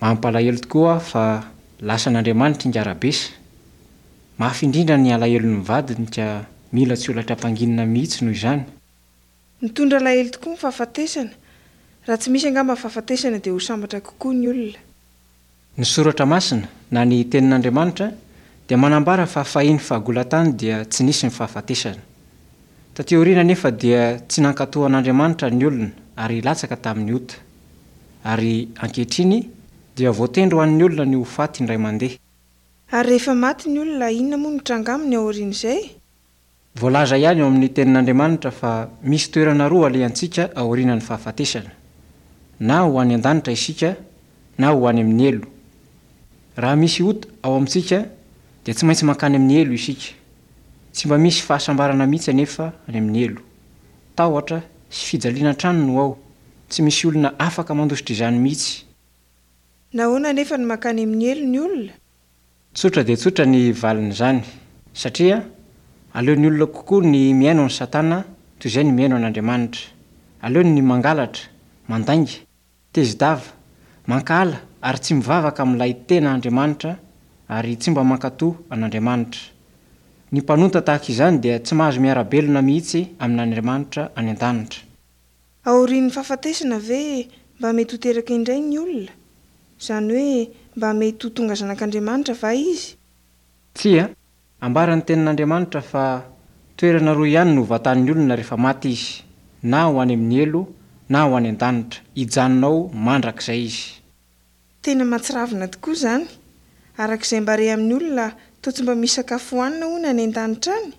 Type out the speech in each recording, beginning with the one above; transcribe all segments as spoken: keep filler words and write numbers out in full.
Mampalahelo tokoa fa lasan'Andriamanitra ingahy Rabesa. Mafy indrindra ny alahelon'ny vadiny ka mila tsy ho latram-panginina mihitsy noho izany. Mitondra alahelo tokoa ny fahafatesana. Raha tsy misy angamba fahafatesana dia ho sambatra kokoa ny olona. Ny soratra masina na ny tenin'Andriamanitra dia manambara fa fahiny fahagola-tany dia tsy nisy ny fahafatesana. Taty aoriana nefa dia tsy nankatò an'Andriamanitra ny olona ary latsaka tamin'ny ota. Ary ankehitriny dia voatendry ho an'ny olona ny ho faty indray mandeha. Ary rehefa maty ny olona, inona moa no tranga aminy aorian'izay? Voalaza ihany eo amin'ny tenin'Andriamanitra fa misy toerana roa alehantsika aorian'ny fahafatesana. Na ho any an-danitra isika na ho any amin'ny helo. Raha misy ota ao amintsika dia tsy maintsy mankany amin'ny helo isika. Tsy mba misy fahasambarana mihitsy anefa any amin'ny helo. Tahotra sy fijaliana hatrany no ao. Tsy misy olona afaka mandositra izany mihitsy. Nahoana anefa no mankany amin'ny helo ny olona? Tsotra dia tsotra ny valin'izany, satria aleon'ny olona kokoa ny mihaino an'i Satana toy izay ny mihaino an'Andriamanitra. Aleony ny mangalatra, mandainga, tezi-dava, mankahala ary tsy mivavaka amin'ilay tena Andriamanitra ary tsy mba mankatò an'Andriamanitra. Ny mpanota tahaka izany dia tsy mahazo miara-belona mihitsy amin'Andriamanitra any an-danitra. Aorian'ny fahafatesana ve mba mety ho teraka indray ny olona? Izany hoe mba mety ho tonga zanak'Andriamanitra va izy? Tsia, ambaran'ny tenin'Andriamanitra fa toerana roa ihany no vatan'ny olona rehefa maty izy, na ho any amin'ny helo na ho any an-danitra, hijanona ao mandrakizay izy. Tena mahatsiravina tokoa izany. Araka izay mba re amin'ny olona, toa tsy mba misy sakafo hohanina hono any an-danitra any?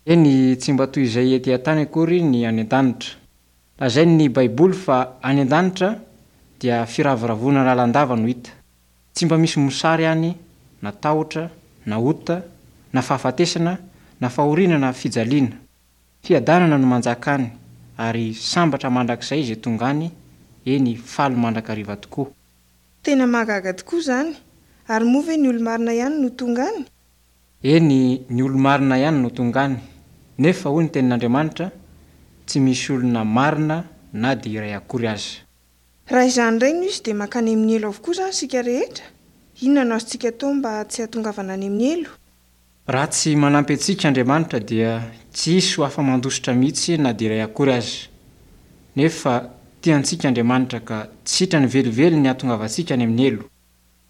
Eny, tsy mba toy izay ety an-tany akory ny any an-danitra. Lazain'ny Baiboly fa any an-danitra dia firavoravoana lalandava no hita. Tsy mba misy mosary any, na tahotra, na ota, na fahafatesana, na fahoriana na fijaliana. Fiadanana no manjaka any, ary sambatra mandrakizay izay tonga any, eny faly mandrakariva tokoa. Tena mahagaga tokoa izany. Ary moa ve ny olo-marina ihany no tonga any? Eny, ny olo-marina ihany no tonga any. Nefa hoy ny tenin'Andriamanitra, tsy misy olona marina na dia iray akory aza. Raha izany indray no izy dia mankany amin'ny helo avokoa izany isika rehetra? Inona no azontsika atao mba tsy hahatongavana any amin'ny helo? Raha tsy manampy antsika Andriamanitra dia tsy hisy ho afa-mandositra mihitsy na dia iray akory aza. Nefa tia antsika Andriamanitra ka tsy sitrany velively ny hahatongavantsika any amin'ny helo.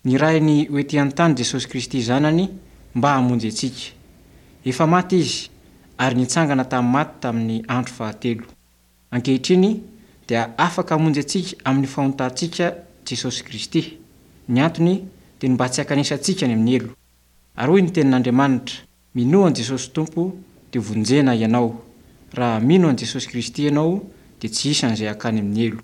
Nirahiny ho ety an-tany Jesosy Kristy zanany mba hamonjy antsika. Efa maty izy ary nitsangana tamin'ny maty tamin'ny andro fahatelo. Ankehitriny dia afaka hamonjy antsika amin'ny fahotantsika Jesosy Kristy. Ny antony dia ny mba tsy hankanesantsika any amin'ny helo. Ary hoy ny tenin'Andriamanitra, minoa an'i Jesosy Tompo dia vonjena ianao. Raha mino an'i Jesosy Kristy ianao dia tsy hisy an'izay hankany amin'ny helo.